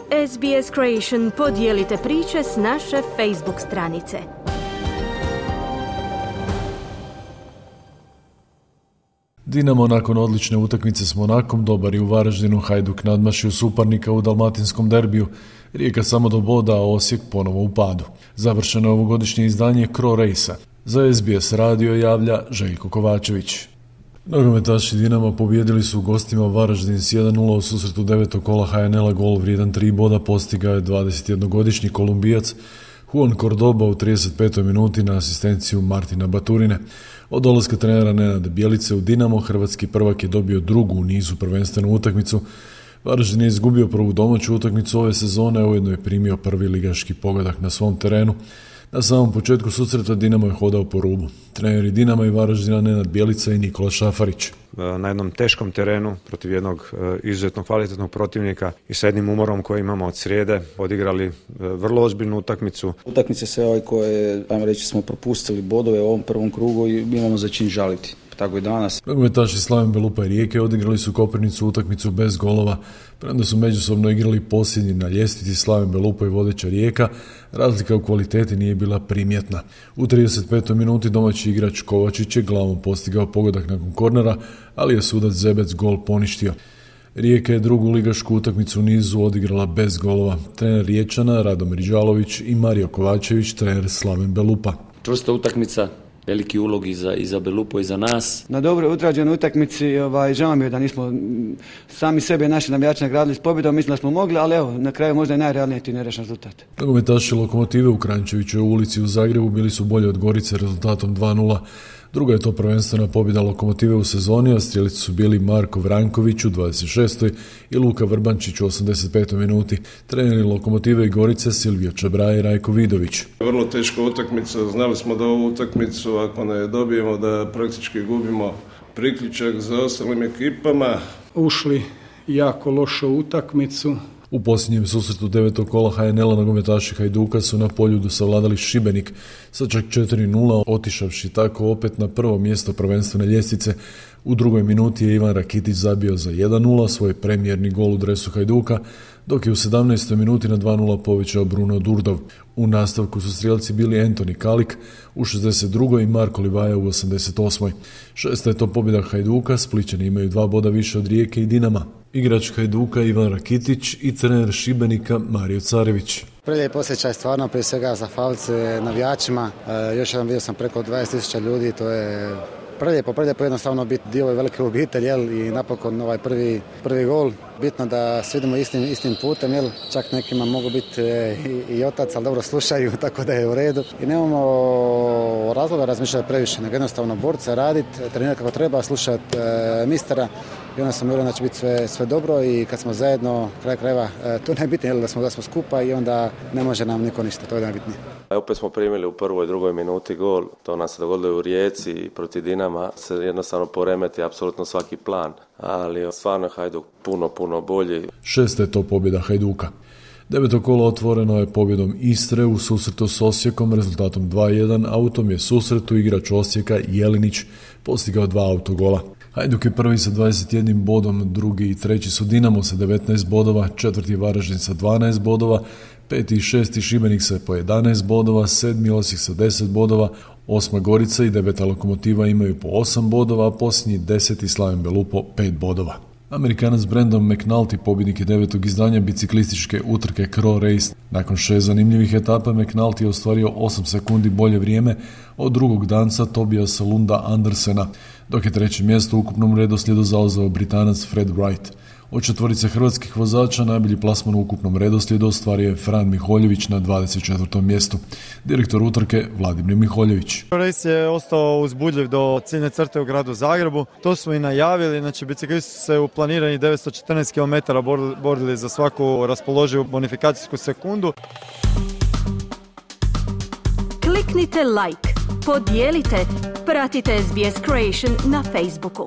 SBS Creation, podijelite priče s naše Facebook stranice. Dinamo nakon odlične utakmice s Monakom dobar i u Varaždinu, Hajduk nadmašio suparnika u dalmatinskom derbiju, Rijeka samo do boda, a Osijek ponovo u padu. Završeno je ovogodišnje izdanje Cro Race-a. Za SBS radio javlja Željko Kovačević. Nogometaši Dinama pobijedili su u gostima Varaždin s 1-0 u susretu 9. kola HNL-a. Gol vrijedan 3 boda postigao je 21-godišnji Kolumbijac Juan Cordoba u 35. minuti na asistenciju Martina Baturine. Od dolaska trenera Nenada Bjelice u Dinamo, hrvatski prvak je dobio drugu u nizu prvenstvenu utakmicu. Varaždin je izgubio prvu domaću utakmicu ove sezone, a ujedno je primio prvi ligaški pogodak na svom terenu. Na samom početku susreta Dinamo je hodao po rubu. Treneri Dinama i Varaždina Nenad Bjelica i Nikola Šafarić. Na jednom teškom terenu protiv jednog izuzetno kvalitetnog protivnika i sa jednim umorom koji imamo od srijede odigrali vrlo ozbiljnu utakmicu. Utakmice sve koje, ajmo reći, smo propustili bodove u ovom prvom krugu i imamo za čin žaliti. Tako i danas. Nogometaši Slaven Belupa i Rijeke odigrali su Koprivnicu utakmicu bez golova, premda su međusobno igrali posljednji na ljestvici. Slaven Belupa i vodeća Rijeka, razlika u kvaliteti nije bila primjetna. U 35. minuti domaći igrač Kovačić je glavom postigao pogodak nakon kornera, ali je sudac Zebec gol poništio. Rijeka je drugu ligašku utakmicu u nizu odigrala bez golova. Trener Riječana Radomir Đalović i Mario Kovačević, trener Slaven Belupa. Čvrsta utakmica, veliki ulog i za Belupo i za nas. Na dobro utrađenoj utakmici, žao mi je da nismo sami sebe naši navijači nagradili s pobjedom, mislim da smo mogli, ali evo, na kraju možda i najrealniji ti nerešen rezultat. Nogometaši Lokomotive u Kranjčevićevoj ulici u Zagrebu bili su bolji od Gorice rezultatom 2-0. Druga je to prvenstvena pobjeda Lokomotive u sezoni, a strijelici su bili Marko Vranković u 26. i Luka Vrbančić u 85. minuti. Treneri Lokomotive i Gorice Silvio Čabraj i Rajko Vidović. Vrlo teška utakmica, znali smo da ovu utakmicu ako ne dobijemo da praktički gubimo priključak za ostalim ekipama. Ušli jako lošu utakmicu. U posljednjem susretu 9. kola HNL-a nogometaši Hajduka su na Poljudu savladali Šibenik sa čak 4-0, otišavši tako opet na prvo mjesto prvenstvene ljestvice. U drugoj minuti je Ivan Rakitić zabio za 1-0 svoj premijerni gol u dresu Hajduka, dok je u 17. minuti na 2-0 povećao Bruno Durdov. U nastavku su strijelci bili Antoni Kalik u 62. i Marko Livaja u 88. Šesta je to pobjeda Hajduka, Splićani imaju 2 boda više od Rijeke i Dinama. Igrač Hajduka Ivan Rakitić i trener Šibenika Mario Carević. Prelijep osjećaj stvarno, prije svega za falce, navijačima. Još jedan vidio sam preko 20.000 ljudi, to je prelijepo jednostavno biti dio ove velike obitelji, i napokon ovaj prvi gol. Bitno da svi idemo istim putem, čak nekima mogu biti i otac, ali dobro slušaju, tako da je u redu. I nemamo razloga razmišljati previše, nego jednostavno borca, raditi, trenirati kako treba, slušati mistera. I onda sam uvjeren da će biti sve dobro i kad smo zajedno, kraj krajeva, to je najbitnije, da smo skupa i onda ne može nam niko ništa, to je najbitnije. Opet smo primili u prvoj i drugoj minuti gol, to nam se dogodilo u Rijeci i protiv Dinama se jednostavno poremeti apsolutno svaki plan, ali stvarno je Hajduk puno bolji. Šesta je to pobjeda Hajduka. 9. kolo otvoreno je pobjedom Istre u susretu s Osijekom rezultatom 2-1, a u tom je susretu igrač Osijeka Jelinić postigao 2 autogola. Hajduk je prvi sa 21 bodom, drugi i treći su Dinamo sa 19 bodova, četvrti Varaždin sa 12 bodova, peti i šesti Šibenik sa po 11 bodova, sedmi Osijek sa 10 bodova, osma Gorica i deveta Lokomotiva imaju po 8 bodova, a posljednji 10. Slaven Belupo 5 bodova. Amerikanac Brandon McNulty pobjednik je 9. izdanja biciklističke utrke Cro Race. Nakon 6 zanimljivih etapa McNulty je ostvario 8 sekundi bolje vrijeme od drugog danca Tobiasa Lunda Andersena, dok je treće mjesto u ukupnom redoslijedu zauzeo Britanac Fred Wright. Od četvorice hrvatskih vozača najbolji plasman u ukupnom redoslijedu ostvario je Fran Miholjević na 24. mjestu. Direktor utrke Vladimir Miholjević. Race je ostao uzbudljiv do ciljne crte u gradu Zagrebu. To smo i najavili, znači biciklisti su se u planirani 914 km borili za svaku raspoloživu bonifikacijsku sekundu. Kliknite like, podijelite, pratite SBS Creation na Facebooku.